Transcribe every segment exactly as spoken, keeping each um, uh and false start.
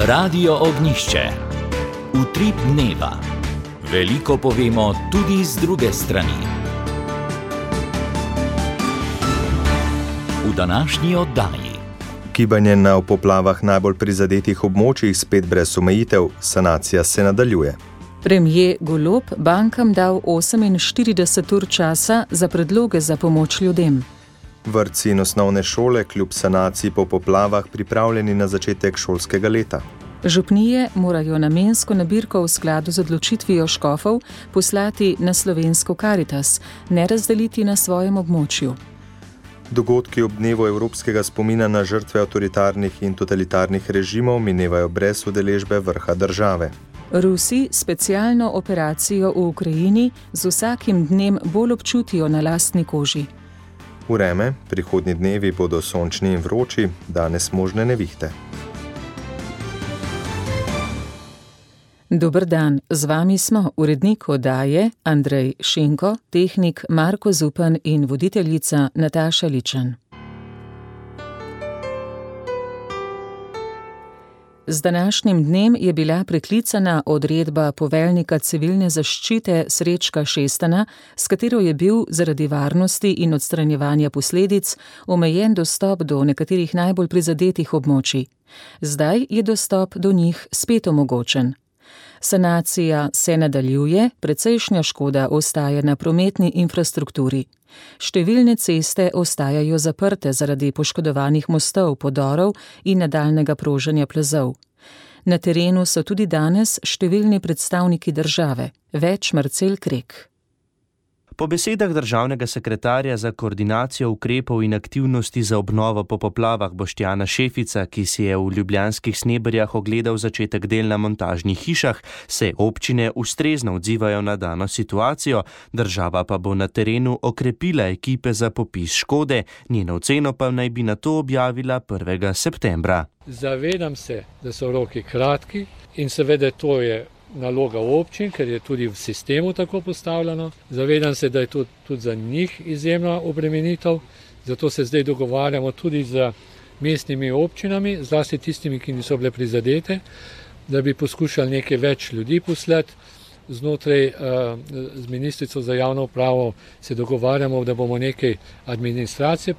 Radio Ognjišče. Utrip dneva. Veliko povemo tudi z druge strani. V današnji oddaji. Gibanje na v poplavah najbolj prizadetih območjih spet brez omejitev, sanacija se nadaljuje. Premier Golob bankam dal oseminštirideset ur časa za predloge za pomoč ljudem. Vrtci in osnovne šole kljub sanaciji po poplavah pripravljeni na začetek šolskega leta. Župnije morajo namensko nabirko v skladu z odločitvijo škofov poslati na slovensko Karitas, ne razdeliti na svojem območju. Dogodki ob dnevu evropskega spomina na žrtve avtoritarnih in totalitarnih režimov minevajo brez udeležbe vrha države. Rusi specialno operacijo v Ukrajini z vsakim dnem bolj občutijo na lastni koži. Vreme, prihodnji dnevi bodo sončni in vroči, danes možne nevihte. Dober dan, z vami smo urednik oddaje Andrej Šinko, tehnik Marko Zupan in voditeljica Nataša Ličan. Z današnjim dnem je bila preklicana odredba poveljnika civilne zaščite Srečka Šestana, s katero je bil zaradi varnosti in odstranjevanja posledic omejen dostop do nekaterih najbolj prizadetih območij. Zdaj je dostop do njih spet omogočen. Sanacija se nadaljuje, precejšnja škoda ostaja na prometni infrastrukturi. Številne ceste ostajajo zaprte zaradi poškodovanih mostov, podorov in nadaljnega proženja plazov. Na terenu so tudi danes številni predstavniki države, več Marcel Krek. Po besedah državnega sekretarja za koordinacijo ukrepov in aktivnosti za obnovo po poplavah Boštjana Šefica, ki si je v ljubljanskih Sneberjah ogledal začetek del na montažnih hišah, se občine ustrezno odzivajo na dano situacijo, država pa bo na terenu okrepila ekipe za popis škode, njeno oceno pa naj bi nato objavila prvega septembra. Zavedam se, da so roki kratki in seveda to je naloga občin, ker je tudi v sistemu tako postavljeno. Zavedam se, da je to tudi za njih izjemna obremenitev, zato se zdaj dogovarjamo tudi z mestnimi občinami, zlasti tistimi, ki niso bile prizadete, da bi poskušali nekaj več ljudi poslati. Znotraj z ministrico za javno upravo se dogovarjamo, da bomo nekaj administracije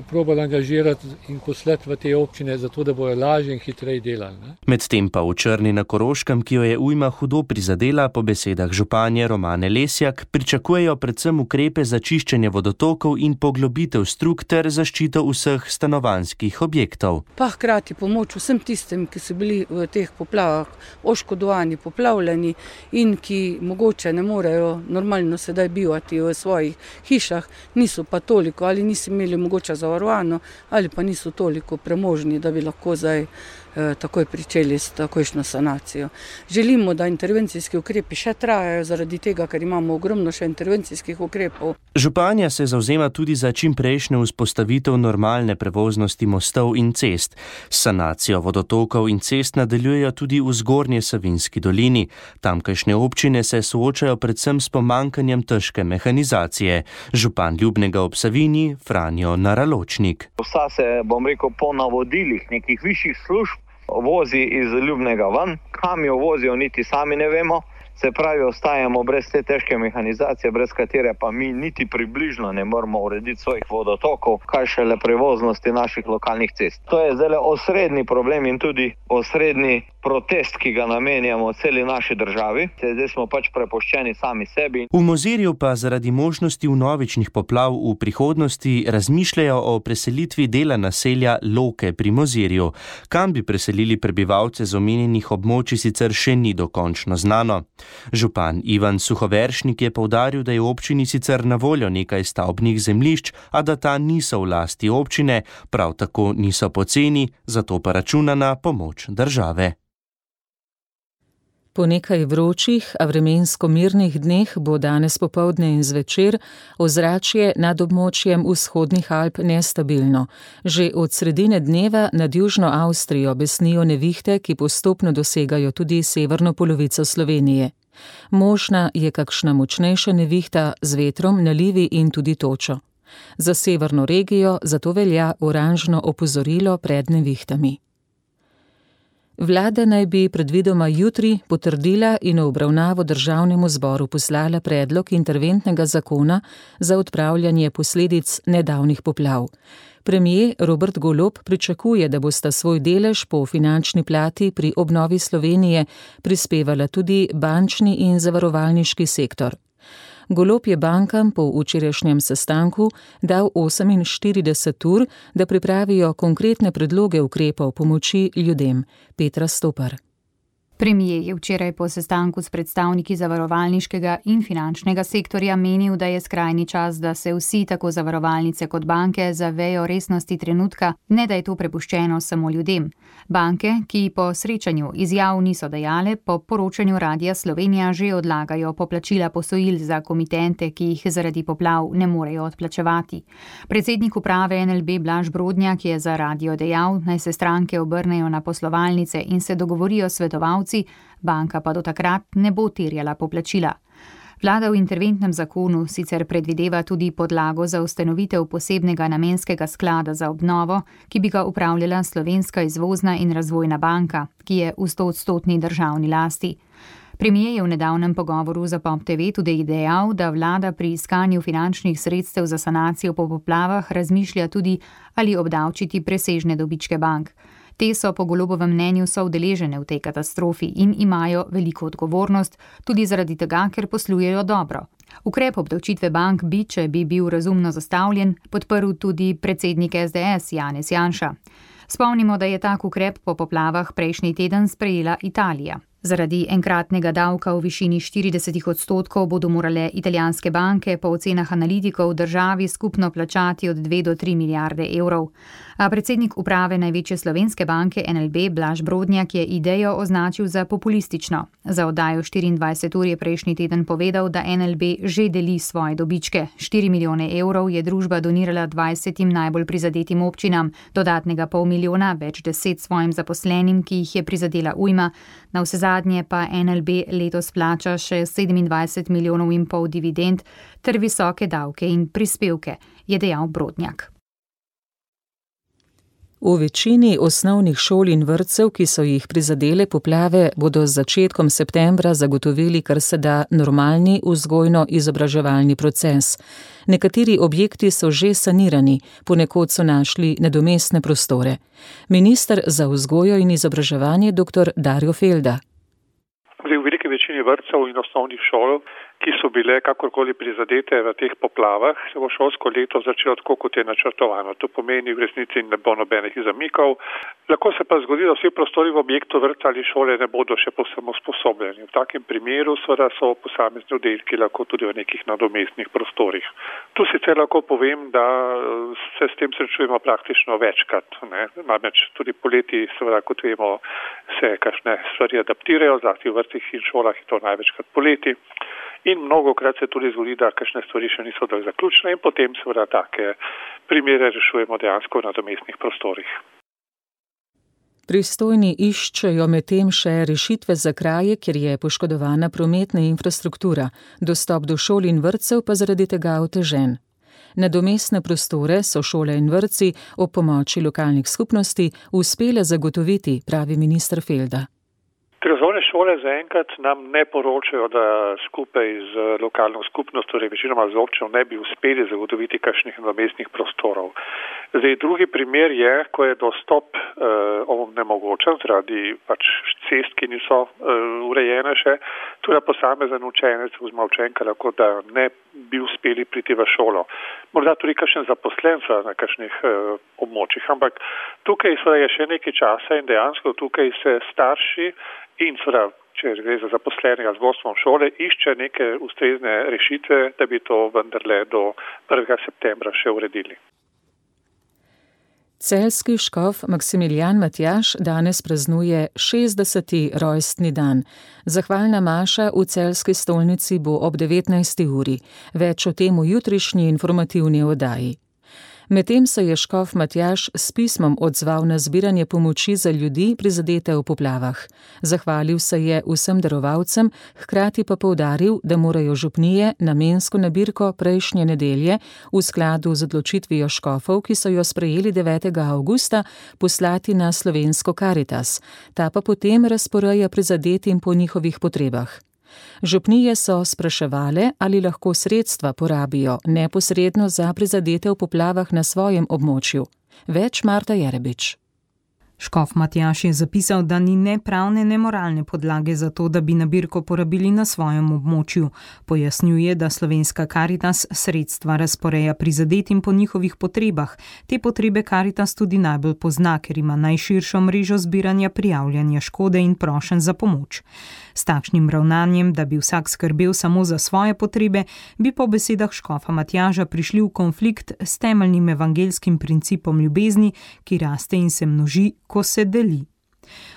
probali angažirati in poslati v te občine, zato da bojo lažje in hitreje delali. Ne? Medtem pa v Črni na Koroškem, ki jo je ujma hudo prizadela, po besedah županje Romane Lesjak, pričakujejo predvsem ukrepe za čiščenje vodotokov in poglobitev strug ter zaščito vseh stanovanjskih objektov. Pa hkrati pomoč vsem tistim, ki so bili v teh poplavah oškodovani, poplavljeni in ki mogoče ne morejo normalno sedaj bivati v svojih hišah, niso pa toliko ali niso imeli mogoče zavarovano ali pa niso toliko premožni, da bi lahko zdaj eh, takoj pričeli s takojšno sanacijo. Želimo, da intervencijski ukrepi še trajajo zaradi tega, ker imamo ogromno še intervencijskih ukrepov. Županja se zavzema tudi za čimprejšnjo vzpostavitev normalne prevoznosti mostov in cest. Sanacijo vodotokov in cest nadaljujejo tudi v Zgornje Savinjski dolini. Tamkajšnje občine se soočajo predvsem s pomanjkanjem težke mehanizacije. Župan Ljubnega ob Savinji, Franjo Naraločnik. Vsa se, bom rekel, po navodilih nekih višjih služb vozi iz Ljubnega ven, kam jo vozijo, niti sami ne vemo. Se pravi, ostajamo brez te težke mehanizacije, brez katere pa mi niti približno ne moramo urediti svojih vodotokov, kaj šele prevoznosti naših lokalnih cest. To je zdaj osrednji problem in tudi osrednji protest, ki ga namenjamo celi naši državi. Zdaj smo pač prepuščeni sami sebi. V Mozirju pa zaradi možnosti vnovičnih poplav v prihodnosti razmišljajo o preselitvi dela naselja Loke pri Mozirju. Kam bi preselili prebivalce z omenjenih območij, sicer še ni dokončno znano. Župan Ivan Suhoveršnik je poudaril, da je v občini sicer na voljo nekaj stavbnih zemljišč, a da ta niso v lasti občine, prav tako niso poceni, zato pa računa na pomoč države. Po nekaj vročih, a vremensko mirnih dneh bo danes popoldne in zvečer ozračje nad območjem vzhodnih Alp nestabilno. Že od sredine dneva nad južno Avstrijo besnijo nevihte, ki postopno dosegajo tudi severno polovico Slovenije. Možna je kakšna močnejša nevihta z vetrom, nalivi in tudi točo. Za severno regijo zato velja oranžno opozorilo pred nevihtami. Vlada naj bi predvidoma jutri potrdila in v obravnavo državnemu zboru poslala predlog interventnega zakona za odpravljanje posledic nedavnih poplav. Premier Robert Golob pričakuje, da bosta svoj delež po finančni plati pri obnovi Slovenije prispevala tudi bančni in zavarovalniški sektor. Golob je bankam po včerajšnjem sestanku dal oseminštirideset ur, da pripravijo konkretne predloge ukrepov pomoči ljudem. Petra Stopar. Premier je včeraj po sestanku s predstavniki zavarovalniškega in finančnega sektorja menil, da je skrajni čas, da se vsi, tako zavarovalnice kot banke, zavejo resnosti trenutka, ne da je to prepuščeno samo ljudem. Banke, ki po srečanju izjav niso dajale, po poročanju Radia Slovenija že odlagajo poplačila posojil za komitente, ki jih zaradi poplav ne morejo odplačevati. Predsednik uprave N L B Blaž Brodnjak je za radio dejal, naj se stranke obrnejo na poslovalnice in se dogovorijo svetovalci, banka pa do takrat ne bo terjala poplačila. Vlada v interventnem zakonu sicer predvideva tudi podlago za ustanovitev posebnega namenskega sklada za obnovo, ki bi ga upravljala Slovenska izvozna in razvojna banka, ki je v stoodstotni državni lasti. Premier je v nedavnem pogovoru za Pop T V tudi dejal, da vlada pri iskanju finančnih sredstev za sanacijo po poplavah razmišlja tudi, ali obdavčiti presežne dobičke bank. Te so po Golobovem mnenju soudeležene v tej katastrofi in imajo veliko odgovornost, tudi zaradi tega, ker poslujejo dobro. Ukrep obdavčitve bank bi, če bi bil razumno zastavljen, podprl tudi predsednik S D S Janez Janša. Spomnimo, da je tak ukrep po poplavah prejšnji teden sprejela Italija. Zaradi enkratnega davka v višini štirideset odstotkov bodo morale italijanske banke po ocenah analitikov državi skupno plačati od dve do tri milijarde evrov. A predsednik uprave največje slovenske banke N L B Blaž Brodnjak je idejo označil za populistično. Za oddajo štiriindvajset ur je prejšnji teden povedal, da N L B že deli svoje dobičke. štiri milijone evrov je družba donirala dvajsetim najbolj prizadetim občinam, dodatnega pol milijona, več deset svojim zaposlenim, ki jih je prizadela ujma. Na vse zadnje pa N L B letos plača še sedemindvajset milijonov in pol dividend ter visoke davke in prispevke, je dejal Brodnjak. V večini osnovnih šol in vrtcev, ki so jih prizadele poplave, bodo z začetkom septembra zagotovili kar se da normalni vzgojno-izobraževalni proces. Nekateri objekti so že sanirani, ponekod so našli nadomestne prostore. Minister za vzgojo in izobraževanje dr. Dario Felda. V veliki večini vrtcev in osnovnih šol, ki so bile kakorkoli prizadete v teh poplavah, se bo šolsko leto začelo tako, kot je načrtovano. To pomeni v resnici ne bo nobenih zamikov. Lahko se pa zgodi, da vsi prostori v objektu vrtca ali šole ne bodo še povsem usposobljeni. V takem primeru seveda so posamezni oddelki lahko tudi v nekih nadomestnih prostorih. Tu sicer lahko povem, da se s tem srečujemo praktično večkrat. Ne? Namreč tudi poleti, seveda, kot vemo, se kakšne stvari adaptirajo, zlasti v vrtcih in šolah je to največkrat poleti. In mnogokrat se tudi zgodi, da kakšne stvari še niso dovolj zaključene in potem seveda take primere rešujemo dejansko v nadomestnih prostorih. Pristojni iščejo medtem še rešitve za kraje, kjer je poškodovana prometna infrastruktura, dostop do šol in vrtcev pa zaradi tega otežen. Nadomestne prostore so šole in vrtci ob pomoči lokalnih skupnosti uspele zagotoviti, pravi minister Felda. Osnovne šole zaenkrat nam ne poročajo, da skupaj z lokalno skupnostjo, torej večinoma z občino, ne bi uspeli zagotoviti kakšnih nadomestnih prostorov. Zdaj, drugi primer je, ko je dostop uh, onemogočen zaradi pač cest, ki niso uh, urejene še, tudi posamezen učenec oziroma učenka lahko, da ne bi uspeli priti v šolo. Morda tudi kakšen zaposlen na kakšnih uh, območjih, ampak tukaj je še nekaj časa in dejansko tukaj se starši in seveda, če gre za zaposlenega z vodstvom šole, išče neke ustrezne rešitve, da bi to vendarle do prvega septembra še uredili. Celjski škof Maksimilijan Matjaž danes praznuje šestdeseti rojstni dan. Zahvalna maša v celjski stolnici bo ob devetnajsti uri. Več o tem v jutrišnji informativni oddaji. Medtem se je škof Matjaž s pismom odzval na zbiranje pomoči za ljudi prizadete v poplavah. Zahvalil se je vsem darovalcem, hkrati pa poudaril, da morajo župnije namensko nabirko prejšnje nedelje v skladu z odločitvijo škofov, ki so jo sprejeli devetega avgusta, poslati na slovensko Karitas. Ta pa potem razporeja prizadetim po njihovih potrebah. Župnije so spraševale, ali lahko sredstva porabijo neposredno za prizadete v poplavah na svojem območju. Več Marta Jerebič. Škof Matjaž je zapisal, da ni ne pravne, ne moralne podlage za to, da bi nabirko porabili na svojem območju. Pojasnjuje, da slovenska Karitas sredstva razporeja prizadetim po njihovih potrebah. Te potrebe Karitas tudi najbolj pozna, ker ima najširšo mrežo zbiranja prijavljanja škode in prošenj za pomoč. S takšnim ravnanjem, da bi vsak skrbel samo za svoje potrebe, bi po besedah škofa Matjaža prišli v konflikt s temeljnim evangelskim principom ljubezni, ki raste in se množi, ko se deli.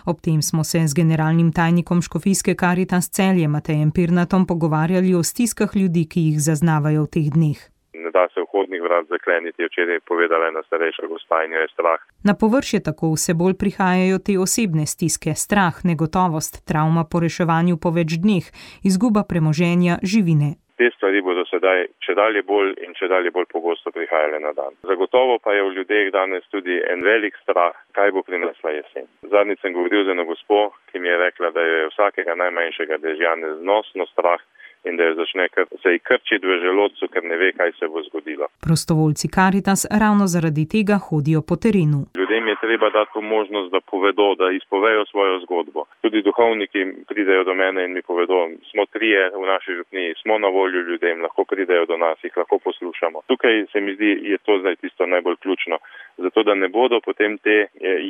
Ob tem smo se z generalnim tajnikom škofijske Karitas Celje Matejem Pirnatom pogovarjali o stiskah ljudi, ki jih zaznavajo v teh dneh. Ne da se vhodnih vrat zakleniti, je včeraj povedala ena starejša gospa in jo je strah. Na površje tako vse bolj prihajajo te osebne stiske, strah, negotovost, travma po reševanju po več dneh, izguba premoženja, živine. Te stvari bodo sedaj čedalje bolj in čedalje bolj pogosto prihajale na dan. Zagotovo pa je v ljudeh danes tudi en velik strah, kaj bo prinesla jesen. Zadnjič sem govoril z eno gospo, ki mi je rekla, da je vsakega najmanjšega dežja neznosno strah in da jo začne kar, se ji krčiti v želodcu, ker ne ve, kaj se bo zgodilo. Prostovoljci Karitas ravno zaradi tega hodijo po terenu. Ljudem je treba dati možnost, da povedo, da izpovejo svojo zgodbo. Tudi duhovniki pridejo do mene in mi povedo, smo trije v naši župniji, smo na voljo ljudem, lahko pridejo do nas, jih lahko poslušamo. Tukaj se mi zdi, je to zdaj tisto najbolj ključno, zato da ne bodo potem te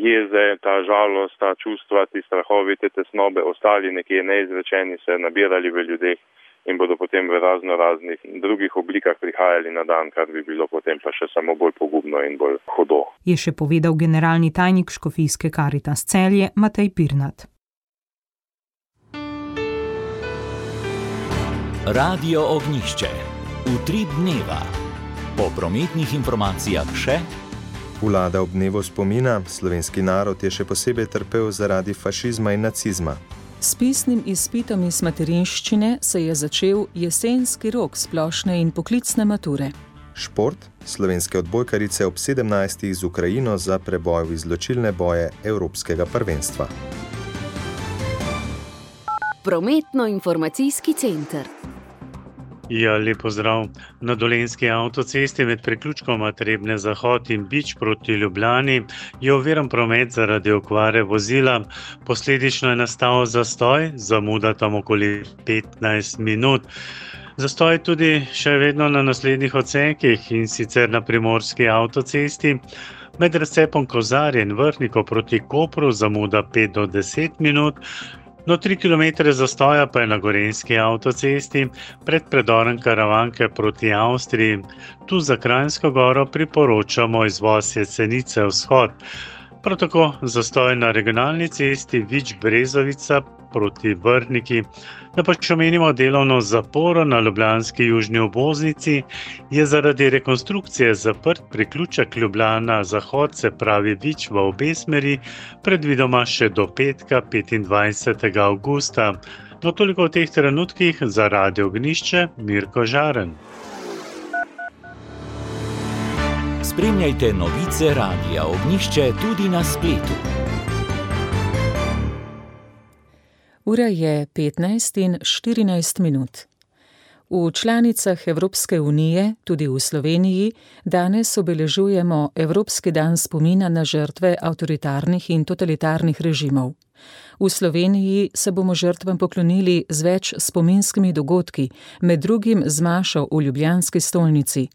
jeze, ta žalost, ta čustva, ti strahovi, te tesnobe ostali nekje neizrečeni, se nabirali v ljudeh in bodo potem v razno raznih drugih oblikah prihajali na dan, kar bi bilo potem pa še samo bolj pogubno in bolj hudo. Je še povedal generalni tajnik škofijske Karitas Celje Matej Pirnat. Radio Ognjišče. Utrip dneva. Po prometnih informacijah še. Vlada ob dnevu spomina, slovenski narod je še posebej trpel zaradi fašizma in nacizma. S pisnim izpitom iz materinščine se je začel jesenski rok splošne in poklicne mature. Šport, slovenske odbojkarice ob sedemnajstih z Ukrajino za preboj v izločilne boje Evropskega prvenstva. Prometno-informacijski center. Ja, lep pozdrav. Na Dolenjski avtocesti med priključkoma Trebnje Zahod in Bič proti Ljubljani je oviran promet zaradi okvare vozila. Posledično je nastal zastoj, zamuda tam okoli petnajst minut. Zastoj tudi še vedno na naslednjih odsekih in sicer na Primorski avtocesti. Med razcepom Kozarje in Vrhniko proti Kopru zamuda pet do deset minut. No, tri kilometre zastoja pa je na Gorenjski avtocesti pred predorom Karavanke proti Avstriji. Tu za Kranjsko goro priporočamo izvoz Jesenice vzhod. Prav tako zastoj na regionalni cesti Vič-Brezovica proti Vrhniki. Da pa če omenimo delovno zaporo na ljubljanski južni obvoznici, je zaradi rekonstrukcije zaprt priključek Ljubljana Zahod, se pravi Vič v obe smeri, predvidoma še do petka petindvajsetega avgusta. No, toliko v teh trenutkih za Radio Ognjišče, Mirko Žaren. Spremljajte novice Radia Ognjišče tudi na spletu. Ura je petnajst in štirinajst minut. V članicah Evropske unije, tudi v Sloveniji, danes obeležujemo Evropski dan spomina na žrtve avtoritarnih in totalitarnih režimov. V Sloveniji se bomo žrtvam poklonili z več spominskimi dogodki, med drugim z mašo v ljubljanski stolnici.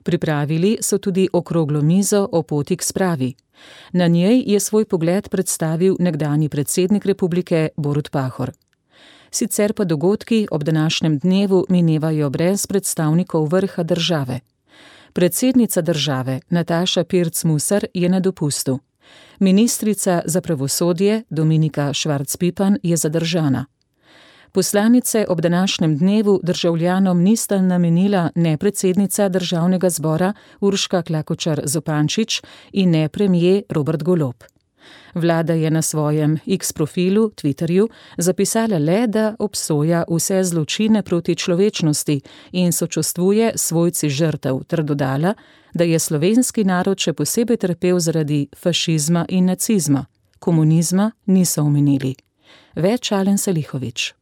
Pripravili so tudi okroglo mizo o poti k spravi. Na njej je svoj pogled predstavil nekdanji predsednik republike Borut Pahor. Sicer pa dogodki ob današnjem dnevu minevajo brez predstavnikov vrha države. Predsednica države Nataša Pirc Musar je na dopustu. Ministrica za pravosodje Dominika Švarc Pipan je zadržana. Poslanice ob današnjem dnevu državljanom nista namenila ne predsednica državnega zbora Urška Klakočar Zupančič in ne premijer Robert Golob. Vlada je na svojem X profilu, Twitterju, zapisala le, da obsoja vse zločine proti človečnosti in sočustvuje svojci žrtev, ter dodala, da je slovenski narod še posebej trpel zaradi fašizma in nacizma. Komunizma niso omenili. Več Alen Salihović.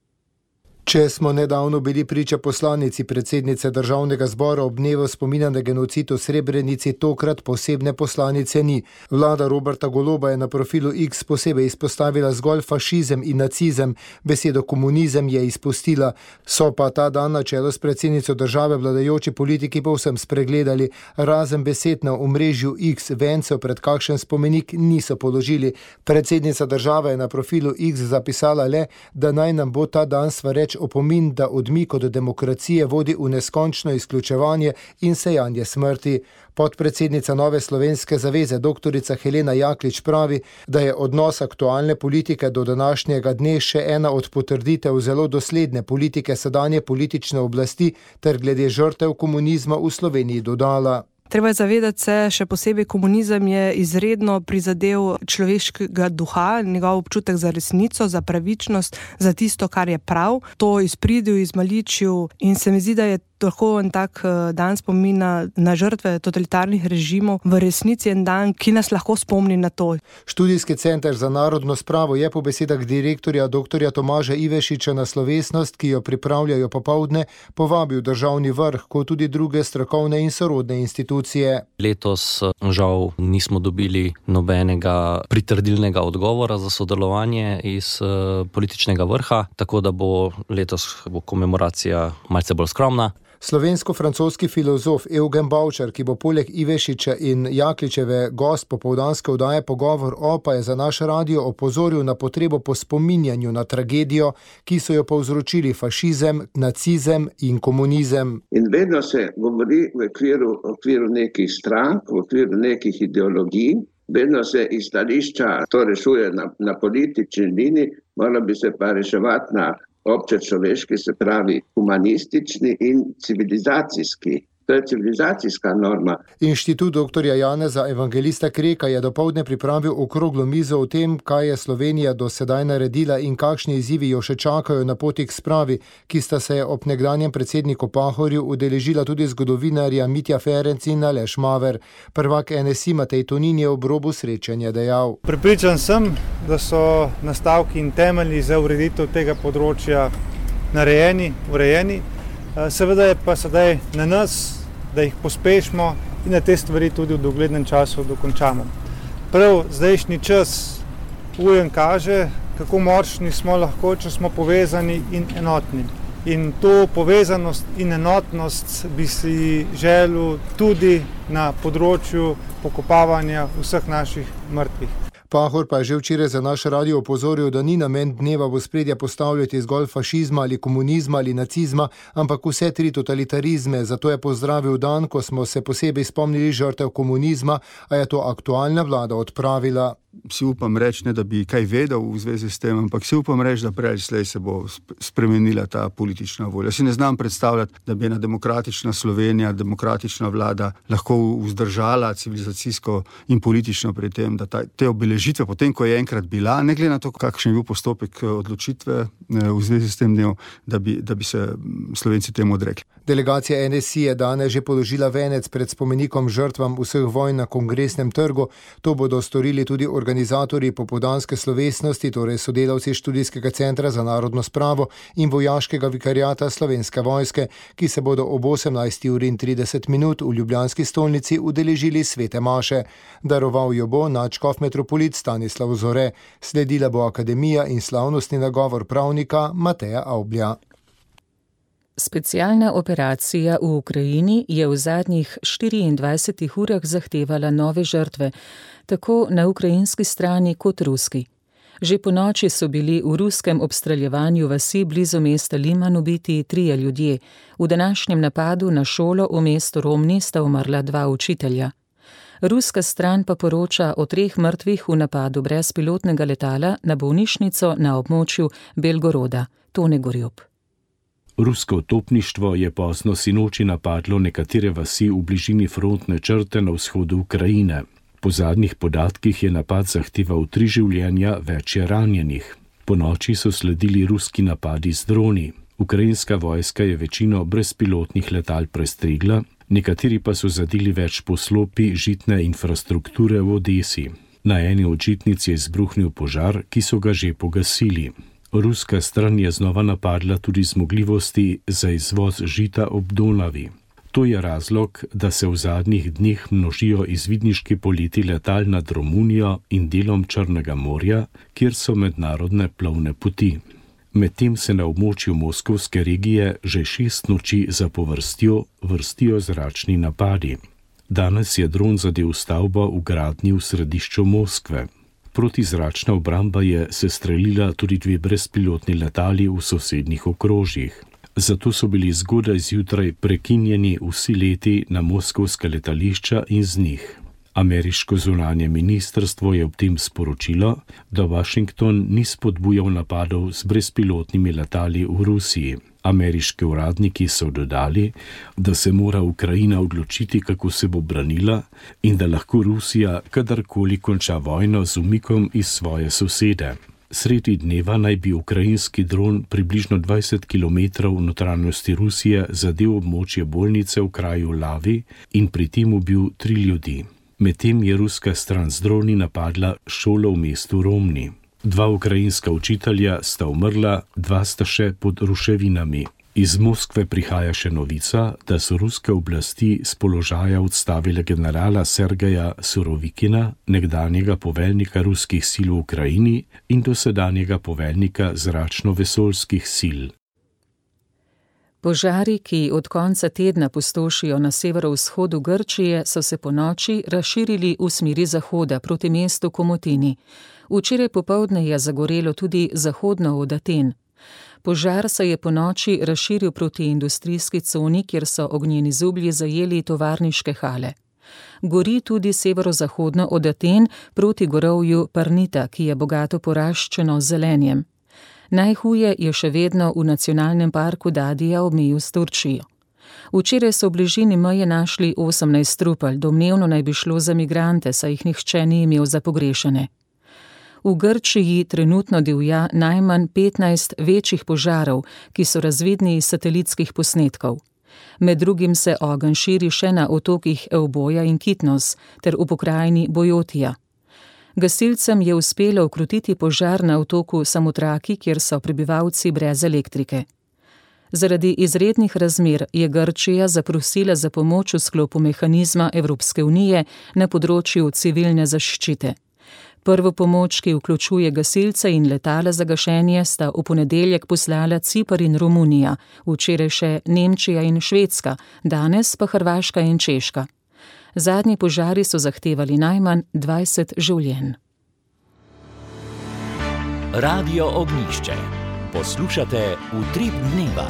Če smo nedavno bili priča poslanici predsednice državnega zbora ob dnevu spomina na genocid v Srebrenici, tokrat posebne poslanice ni. Vlada Roberta Goloba je na profilu X posebej izpostavila zgolj fašizem in nacizem, besedo komunizem je izpustila. So pa ta dan na čelu s predsednico države vladajoči politiki povsem spregledali. Razen besed na omrežju X vencev pred kakšen spomenik niso položili. Predsednica države je na profilu X zapisala le, da naj nam bo ta dan svareč opomin, da odmik od demokracije vodi v neskončno izključevanje in sejanje smrti. Podpredsednica Nove slovenske zaveze doktorica Helena Jaklič pravi, da je odnos aktualne politike do današnjega dne še ena od potrditev zelo dosledne politike sedanje politične oblasti ter glede žrtev komunizma v Sloveniji dodala. Treba je zavedati se, še posebej komunizem je izredno prizadel človeškega duha, njegov občutek za resnico, za pravičnost, za tisto, kar je prav. To izpridil, izmaličil in se mi zdi, da je lahko en tak dan spomina na žrtve totalitarnih režimov v resnici en dan, ki nas lahko spomni na to. Študijski center za narodno spravo je po besedah direktorja doktorja Tomaža Ivešiča na slovesnost, ki jo pripravljajo popoldne, povabil državni vrh, kot tudi druge strokovne in sorodne institucije. Letos žal nismo dobili nobenega pritrdilnega odgovora za sodelovanje iz političnega vrha, tako da bo letos bo komemoracija malce bolj skromna. Slovensko-francoski filozof Eugen Bavčar, ki bo poleg Ivešiča in Jakličeve gost popoldanske oddaje Pogovor o, pa je za naš radio opozoril na potrebo po spominjanju na tragedijo, ki so jo povzročili fašizem, nacizem in komunizem. In vedno se govori v okviru, okviru nekih strank, v okviru nekih ideologij, vedno se iz stališča to rešuje na, na politični liniji, moralo bi se pa reševati na obče človeški, se pravi humanistični in civilizacijski. To je civilizacijska norma. Inštitut doktorja Janeza Evangelista Kreka je dopoldne pripravil okroglo mizo o tem, kaj je Slovenija do sedaj naredila in kakšni izzivi jo še čakajo na poti k spravi, ki sta se ob nekdanjem predsedniku Pahorju udeležila tudi zgodovinarja Mitja Ferenc in Aleš Maver. Prvak N S I Matej Tonin je ob robu srečanja dejal. Prepričan sem, da so nastavki in temelji za ureditev tega področja narejeni, urejeni. Seveda je pa sedaj na nas, da jih pospešimo in da te stvari tudi v doglednem času dokončamo. Prav zdajšnji čas ujen kaže, kako močni smo lahko, če smo povezani in enotni. In to povezanost in enotnost bi si želel tudi na področju pokopavanja vseh naših mrtvih. Pahor pa je že včeraj za naš radio opozoril, da ni namen dneva v ospredje postavljati zgolj fašizma ali komunizma ali nacizma, ampak vse tri totalitarizme. Zato je pozdravil dan, ko smo se posebej spomnili žrtev komunizma, a je to aktualna vlada odpravila. Si upam reči, ne da bi kaj vedel v zvezi s tem, ampak si upam reči, da prej slej se bo spremenila ta politična volja. Si ne znam predstavljati, da bi ena demokratična Slovenija, demokratična vlada lahko vzdržala civilizacijsko in politično pri tem, da ta, te obeležitve, potem ko je enkrat bila, ne glede na to, kakšen je bil postopek odločitve v zvezi s tem dnem, da bi, da bi se Slovenci temu odrekli. Delegacija N S I je danes že položila venec pred spomenikom žrtvam vseh vojn na Kongresnem trgu. To bodo storili tudi organizatorji popoldanske slovesnosti, torej sodelavci Študijskega centra za narodno spravo in vojaškega vikariata Slovenske vojske, ki se bodo ob osemnajsti uri in trideset minut v ljubljanski stolnici udeležili svete maše. Daroval jo bo nadškof metropolit Stanislav Zore. Sledila bo akademija in slavnostni nagovor pravnika Mateja Avblja. Specialna operacija v Ukrajini je v zadnjih štiriindvajsetih urah zahtevala nove žrtve, tako na ukrajinski strani kot ruski. Že po noči so bili v ruskem obstreljevanju vasi blizu mesta Liman ubiti trije ljudje. V današnjem napadu na šolo v mestu Romni sta umrla dva učitelja. Ruska stran pa poroča o treh mrtvih v napadu brezpilotnega letala na bolnišnico na območju Belgoroda. Tone Gorjup. Rusko topništvo je pozno sinoči napadlo nekatere vasi v bližini frontne črte na vzhodu Ukrajine. Po zadnjih podatkih je napad zahteval tri življenja, več je ranjenih. Po noči so sledili ruski napadi z droni. Ukrajinska vojska je večino brezpilotnih letal prestregla, nekateri pa so zadeli več poslopi žitne infrastrukture v Odesi. Na eni od žitnic je izbruhnil požar, ki so ga že pogasili. Ruska stran je znova napadla tudi zmogljivosti za izvoz žita ob Donavi. To je razlog, da se v zadnjih dneh množijo izvidniški poleti letal nad Romunijo in delom Črnega morja, kjer so mednarodne plovne poti. Medtem se na območju moskovske regije že šest noči zapovrstjo vrstijo zračni napadi. Danes je dron zadel stavbo v gradnji v središču Moskve. Protizračna obramba je sestrelila tudi dve brezpilotni letali v sosednjih okrožjih. Zato so bili zgodaj zjutraj prekinjeni vsi leti na moskovska letališča in z njih. Ameriško zunanje ministrstvo je ob tem sporočilo, da Washington ni spodbujal napadov z brezpilotnimi letali v Rusiji. Ameriški uradniki so dodali, da se mora Ukrajina odločiti, kako se bo branila in da lahko Rusija kadarkoli konča vojno z umikom iz svoje sosede. Sredi dneva naj bi ukrajinski dron približno dvajset kilometrov v notranjosti Rusije zadel območje bolnice v kraju Lavi in pri tem ubil tri ljudi. Medtem je ruska stran z droni napadla šolo v mestu Romni. Dva ukrajinska učitelja sta umrla, dva sta še pod ruševinami. Iz Moskve prihaja še novica, da so ruske oblasti s položaja odstavile generala Sergeja Surovikina, nekdanjega poveljnika ruskih sil v Ukrajini in dosedanjega poveljnika zračno-vesoljskih sil. Požari, ki od konca tedna pustošijo na severovzhodu Grčije, so se po noči razširili v smeri zahoda proti mestu Komotini. Včeraj popoldne je zagorelo tudi zahodno od Aten. Požar se je po noči razširil proti industrijski coni, kjer so ognjeni zublji zajeli tovarniške hale. Gori tudi severozahodno od Aten proti gorovju Parnita, ki je bogato poraščeno z zelenjem. Najhuje je še vedno v nacionalnem parku Dadija ob meji s Turčijo. Včeraj so v bližini meje našli osemnajst trupel, domnevno naj bi šlo za migrante, saj jih nihče ni imel za pogrešane. V Grčiji trenutno divja najmanj petnajst večjih požarov, ki so razvidni iz satelitskih posnetkov. Med drugim se ogenj širi še na otokih Euboja in Kitnos ter v pokrajini Bojotija. Gasilcem je uspelo ukrotiti požar na otoku Samotraki, kjer so prebivalci brez elektrike. Zaradi izrednih razmer je Grčija zaprosila za pomoč v sklopu mehanizma Evropske unije na področju civilne zaščite. Prvo pomoč, ki vključuje gasilce in letala za gašenje, sta v ponedeljek poslala Ciper in Romunija, včeraj še Nemčija in Švedska, danes pa Hrvaška in Češka. Zadnji požari so zahtevali najmanj dvajset življenj. Radio Ognjišče. Poslušate Utrip dneva.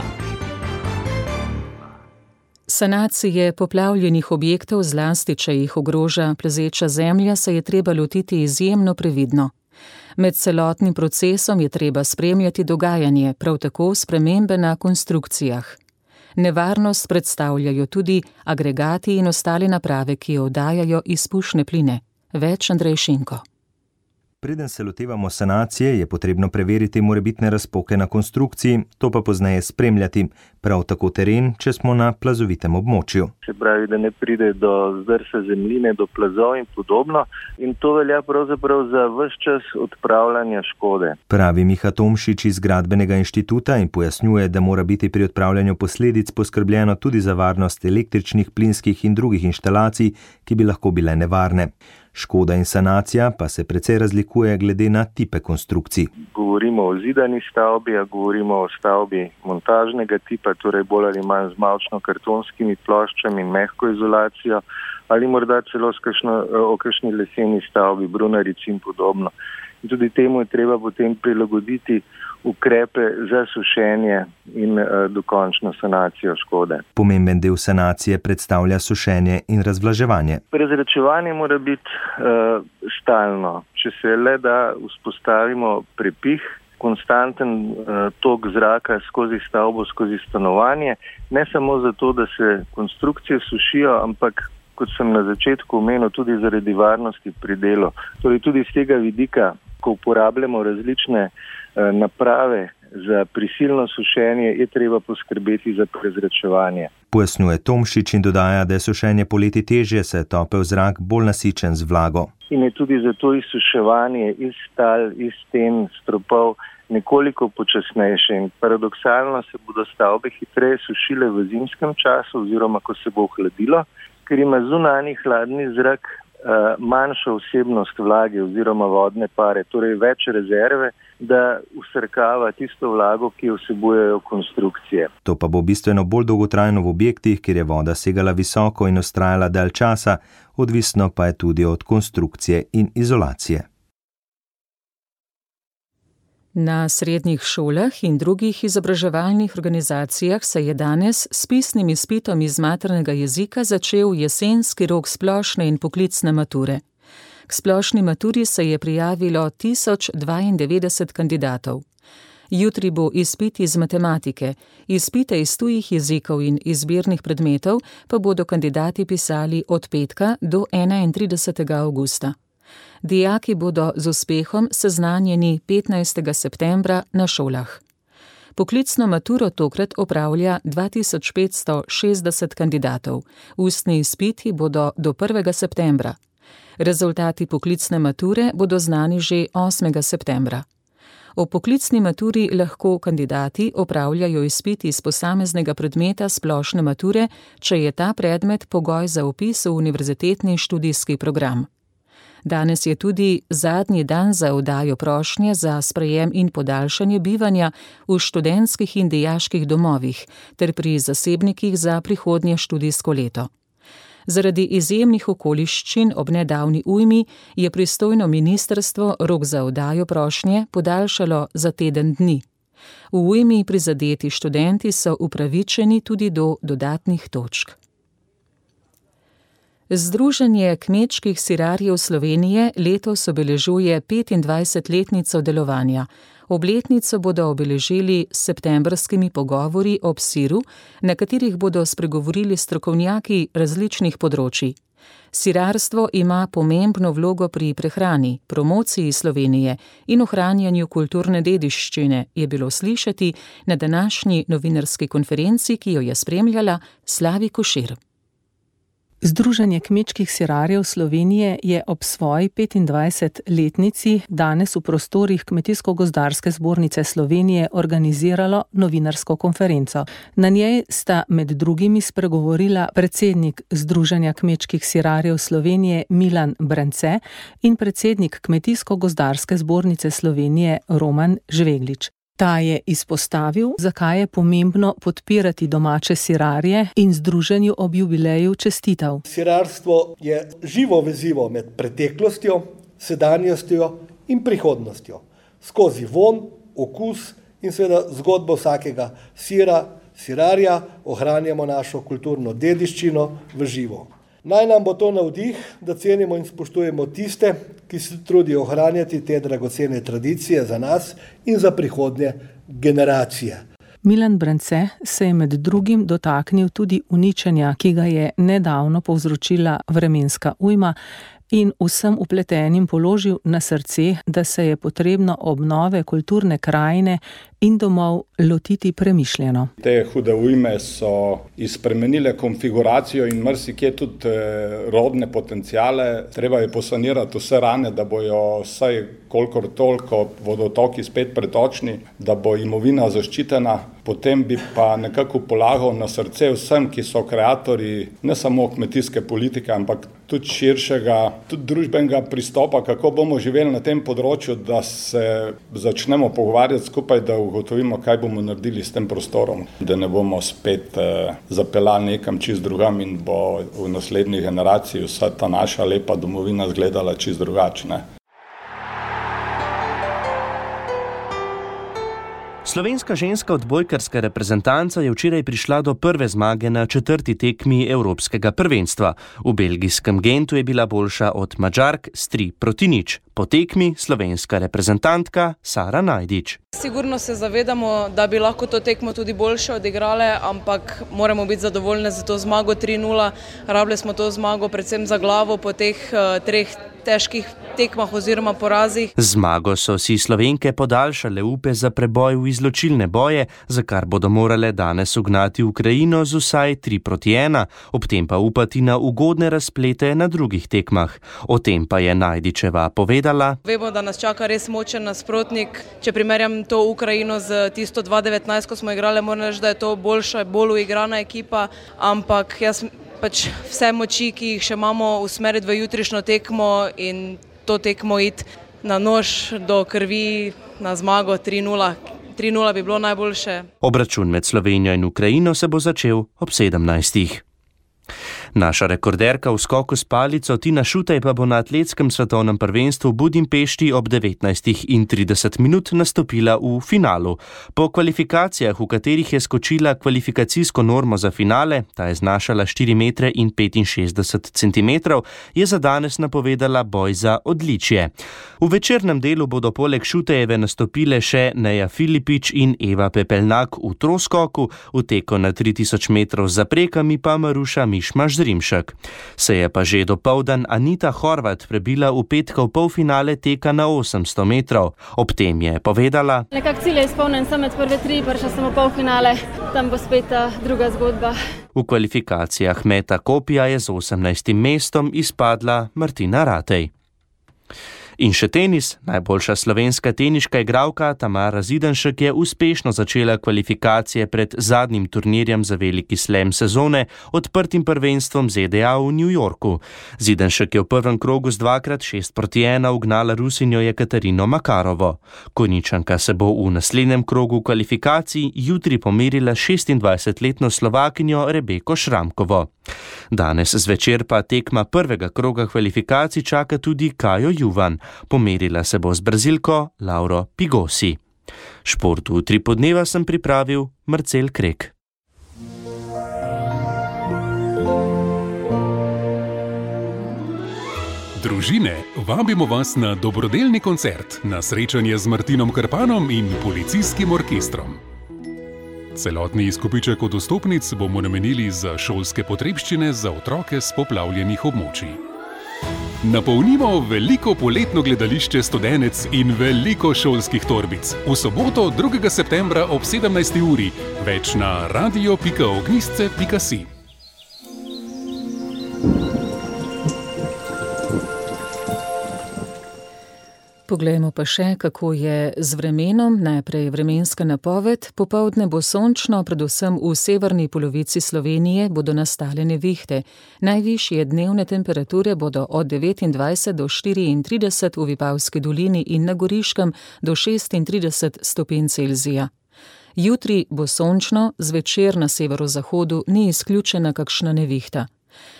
Sanacije poplavljenih objektov, zlasti če jih ogroža plezeča zemlja, se je treba lotiti izjemno previdno. Med celotnim procesom je treba spremljati dogajanje, prav tako spremembe na konstrukcijah. Nevarnost predstavljajo tudi agregati in ostale naprave, ki oddajajo izpušne pline. Več Andrej Šinko. Preden se lotevamo sanacije, je potrebno preveriti morebitne razpoke na konstrukciji, to pa pozneje spremljati, prav tako teren, če smo na plazovitem območju. Se pravi, da ne pride do zdrsa zemljine, do plazov in podobno, in to velja pravzaprav za ves čas odpravljanja škode. Pravi Miha Tomšič iz Gradbenega inštituta in pojasnjuje, da mora biti pri odpravljanju posledic poskrbljeno tudi za varnost električnih, plinskih in drugih inštalacij, ki bi lahko bile nevarne. Škoda in sanacija pa se precej razlikuje glede na tipe konstrukcij. Govorimo o zidani stavbi, a govorimo o stavbi montažnega tipa, torej bolj ali manj z mavčno-kartonskimi ploščami in mehko izolacijo, ali morda celo o kakšni leseni stavbi, brunarici in podobno. In tudi temu je treba potem prilagoditi ukrepe za sušenje in uh, dokončno sanacijo škode. Pomemben del sanacije predstavlja sušenje in razvlaževanje. Prezračevanje mora biti uh, stalno. Če se le da vzpostavimo prepih, konstanten uh, tok zraka skozi stavbo, skozi stanovanje, ne samo zato, da se konstrukcije sušijo, ampak kot sem na začetku omenil, tudi zaradi varnosti pri delu. Torej tudi z tega vidika, ko uporabljamo različne uh, naprave za prisilno sušenje, je treba poskrbeti za prezračevanje. Pojasnjuje Tomšič in dodaja, da je sušenje poleti težje, saj je topel zrak bolj nasičen z vlago. In je tudi zato izsuševanje iz tal, iz sten, stropov nekoliko počasnejše. In paradoksalno se bodo stavbe hitreje sušile v zimskem času oziroma ko se bo ohladilo, ker ima zunanji hladni zrak uh, manjšo vsebnost vlage oziroma vodne pare, torej več rezerve, da usrkava tisto vlago, ki jo vsebujejo konstrukcije. To pa bo bistveno bolj dolgotrajno v objektih, kjer je voda segala visoko in vztrajala dalj časa, odvisno pa je tudi od konstrukcije in izolacije. Na srednjih šolah in drugih izobraževalnih organizacijah se je danes s pisnim izpitom iz maternega jezika začel jesenski rok splošne in poklicne mature. K splošni maturi se je prijavilo tisoč dvaindevetdeset kandidatov. Jutri bo izpit iz matematike, izpite iz tujih jezikov in izbirnih predmetov pa bodo kandidati pisali od petka do enaintridesetega avgusta. Dijaki bodo z uspehom seznanjeni petnajstega septembra na šolah. Poklicno maturo tokrat opravlja dva tisoč petsto šestdeset kandidatov. Ustni izpiti bodo do prvega septembra. Rezultati poklicne mature bodo znani že osmega septembra. O poklicni maturi lahko kandidati opravljajo izpit iz posameznega predmeta splošne mature, če je ta predmet pogoj za vpis v univerzitetni študijski program. Danes je tudi zadnji dan za oddajo prošnje za sprejem in podaljšanje bivanja v študentskih in dijaških domovih ter pri zasebnikih za prihodnje študijsko leto. Zaradi izjemnih okoliščin ob nedavni ujmi je pristojno ministrstvo rok za oddajo prošnje podaljšalo za teden dni. V ujmi prizadeti študenti so upravičeni tudi do dodatnih točk. Združenje kmečkih sirarjev Slovenije letos obeležuje petindvajsetletnico delovanja. Obletnico bodo obeležili s septembrskimi pogovori ob siru, na katerih bodo spregovorili strokovnjaki različnih področij. Sirarstvo ima pomembno vlogo pri prehrani, promociji Slovenije in ohranjanju kulturne dediščine, je bilo slišati na današnji novinarski konferenci, ki jo je spremljala Slavi Košir. Združenje kmečkih sirarjev Slovenije je ob svoji petindvajsetletnici danes v prostorih Kmetijsko-gozdarske zbornice Slovenije organiziralo novinarsko konferenco. Na njej sta med drugimi spregovorila predsednik Združenja kmečkih sirarjev Slovenije Milan Brance in predsednik Kmetijsko-gozdarske zbornice Slovenije Roman Žveglič. Ta je izpostavil, zakaj je pomembno podpirati domače sirarje in združenju ob jubileju čestital. Sirarstvo je živo vezivo med preteklostjo, sedanjostjo in prihodnostjo. Skozi von, okus in seveda zgodbo vsakega sira, sirarja ohranjamo našo kulturno dediščino v živo. Naj nam bo to navdih, da cenimo in spoštujemo tiste, ki se trudijo ohranjati te dragocene tradicije za nas in za prihodnje generacije. Milan Brance se je med drugim dotaknil tudi uničenja, ki ga je nedavno povzročila vremenska ujma, in vsem vpletenim položil na srce, da se je potrebno obnove kulturne krajine in domov lotiti premišljeno. Te hude ujme so izpremenile konfiguracijo in marsikje tudi rodne potencijale. Treba je posanirati vse rane, da bojo vsaj kolikor toliko vodotoki spet pretočni, da bo imovina zaščitena. Potem bi pa nekako polagal na srce vsem, ki so kreatorji ne samo kmetijske politike, ampak tudi širšega, tudi družbenega pristopa, kako bomo živeli na tem področju, da se začnemo pogovarjati skupaj, da ugotovimo, kaj bomo naredili s tem prostorom, da ne bomo spet eh, zapeljali nekam čist drugam in bo v naslednji generaciji vsa ta naša lepa domovina izgledala čist drugačne. Slovenska ženska odbojkarska reprezentanca je včeraj prišla do prve zmage na četrti tekmi Evropskega prvenstva. V belgijskem Gentu je bila boljša od Madžark s tri proti nič. Po tekmi slovenska reprezentantka Sara Najdič. Sigurno se zavedamo, da bi lahko to tekmo tudi boljše odigrale, ampak moramo biti zadovoljne za to zmago tri nula. Rabili smo to zmago predvsem za glavo po teh uh, treh težkih tekmah oziroma porazih. Zmago so si Slovenke podaljšale upe za preboj v izločilne boje, za kar bodo morale danes ugnati Ukrajino z vsaj tri proti ena, ob tem pa upati na ugodne razplete na drugih tekmah. O tem pa je Najdičeva povedala. Vemo, da nas čaka res močen nasprotnik. Če primerjam to Ukrajino z tisto dva devetnajst, ko smo igrali, moram reči, da je to boljša, bolj uigrana ekipa, ampak jaz pač vse moči, ki jih še imamo, usmeriti v jutrišnjo tekmo in to tekmo iti na nož do krvi na zmago tri nula. tri nula bi bilo najboljše. Obračun med Slovenijo in Ukrajino se bo začel ob sedemnajstih. Naša rekorderka v skoku s palico Tina Šutej pa bo na atletskem svetovnem prvenstvu v Budimpešti ob devetnajstih in trideset minut nastopila v finalu. Po kvalifikacijah, v katerih je skočila kvalifikacijsko normo za finale, ta je znašala štiri metre in petinšestdeset centimetrov, je za danes napovedala boj za odličje. V večernem delu bodo poleg Šutejeve nastopile še Neja Filipič in Eva Pepelnak v troskoku, v teku na tri tisoč metrov z zaprekami pa Maruša Mišmaš Zrimšek. Se je pa že dopoldan Anita Horvat prebila v petkov polfinale teka na osemsto metrov. Ob tem je povedala: Nekak cilj je izpolnjen, sem med prve tri, prišla sem v polfinale, tam bo spet druga zgodba. V kvalifikacijah meta kopija je z osemnajstim mestom izpadla Martina Ratej. In še tenis. Najboljša slovenska teniška igralka Tamara Zidanšek je uspešno začela kvalifikacije pred zadnjim turnirjem za veliki slam sezone, odprtim prvenstvom Z D A v New Yorku. Zidanšek je v prvem krogu z dvakrat šest proti ena ugnala Rusinjo Jekaterino Makarovo. Konjičanka se bo v naslednjem krogu kvalifikacij jutri pomerila šestindvajsetletno Slovakinjo Rebeko Šramkovo. Danes zvečer pa tekma prvega kroga kvalifikacij čaka tudi Kajo Juvan. Pomerila se bo z Brazilko Lauro Pigosi. Šport v tri podneva sem pripravil Marcel Krek. Družine, vabimo vas na dobrodelni koncert, na srečanje z Martinom Krpanom in policijskim orkestrom. Celotni izkupiček od vstopnic bomo namenili za šolske potrebščine za otroke s poplavljenih območij. Napolnimo veliko poletno gledališče Studenec in veliko šolskih torbic. V soboto drugega septembra ob sedemnajsti uri. Več na radio pika ognjisce pika si. Poglejmo pa še, kako je z vremenom. Najprej vremenska napoved. Popoldne bo sončno, predvsem v severni polovici Slovenije bodo nastale nevihte. Najvišje dnevne temperature bodo od devetindvajset do štiriintrideset v Vipavski dolini in na Goriškem do šestintrideset stopinj Celzija. Jutri bo sončno, zvečer na severozahodu ni izključena kakšna nevihta.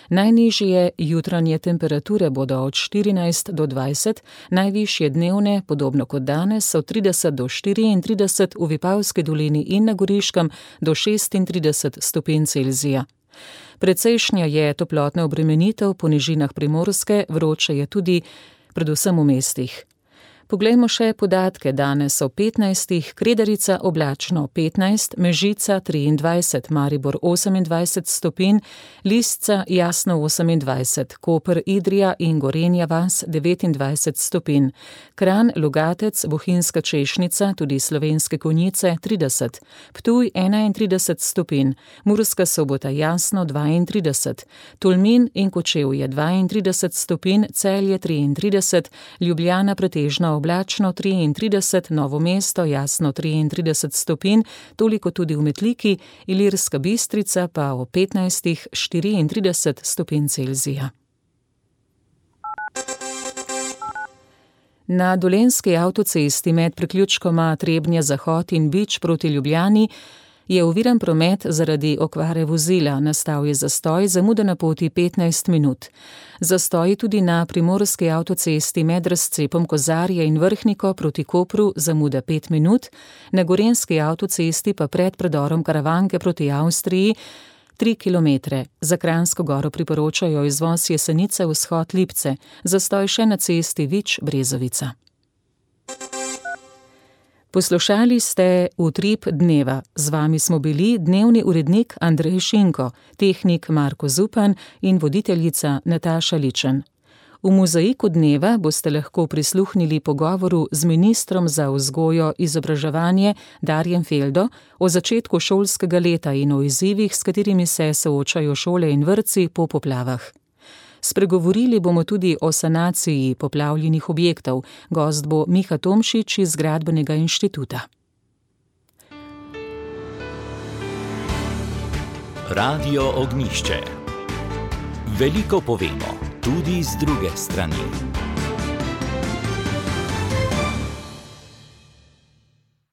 Najnižje jutranje temperature bodo od štirinajst do dvajset, najvišje dnevne, podobno kot danes, od trideset do štiriintrideset v Vipavski dolini in na Goriškem do šestintrideset stopinj Celzija. Precejšnja je toplotna obremenitev po nižinah Primorske, vroče je tudi predvsem v mestih. Poglejmo še podatke. Danes o petnajstih, Kredarica oblačno petnajst, Mežica triindvajset, Maribor osemindvajset stopinj, Lisca jasno osemindvajset, Koper, Idrija in Gorenja vas devetindvajset stopinj, Kranj, Logatec, Bohinjska Češnica, tudi Slovenske Konjice trideset, Ptuj enaintrideset stopinj, Murska Sobota jasno dvaintrideset, Tolmin in Kočevje dvaintrideset stopinj, Celje triintrideset, Ljubljana pretežno oblačno triintrideset, Novo mesto jasno triintrideset stopinj, toliko tudi v Metliki, Ilirska Bistrica pa o petnajstih štiriintrideset stopinj Celzija. Na Dolenjski avtocesti med priključkoma Trebnje-Zahod in Bič proti Ljubljani Je oviran promet zaradi okvare vozila, nastal je zastoj, zamuda na poti petnajst minut. Zastoj tudi na primorski avtocesti med razcepom Kozarje in Vrhniko proti Kopru, zamuda pet minut, na gorenski avtocesti pa pred predorom Karavanke proti Avstriji tri kilometre. Za Kranjsko Goro priporočajo izvoz Jesenice, vzhod Lipce, zastoj še na cesti Vič-Brezovica. Poslušali ste Utrip dneva. Z vami smo bili dnevni urednik Andrej Šinko, tehnik Marko Zupan in voditeljica Nataša Ličen. V mozaiku dneva boste lahko prisluhnili pogovoru z ministrom za vzgojo in izobraževanje Darjem Feldo o začetku šolskega leta in o izzivih, s katerimi se soočajo šole in vrtci po poplavah. Spregovorili bomo tudi o sanaciji poplavljenih objektov. Gost bo Miha Tomšič iz Gradbenega inštituta. Radio Ognjišče. Veliko povemo, tudi z druge strani.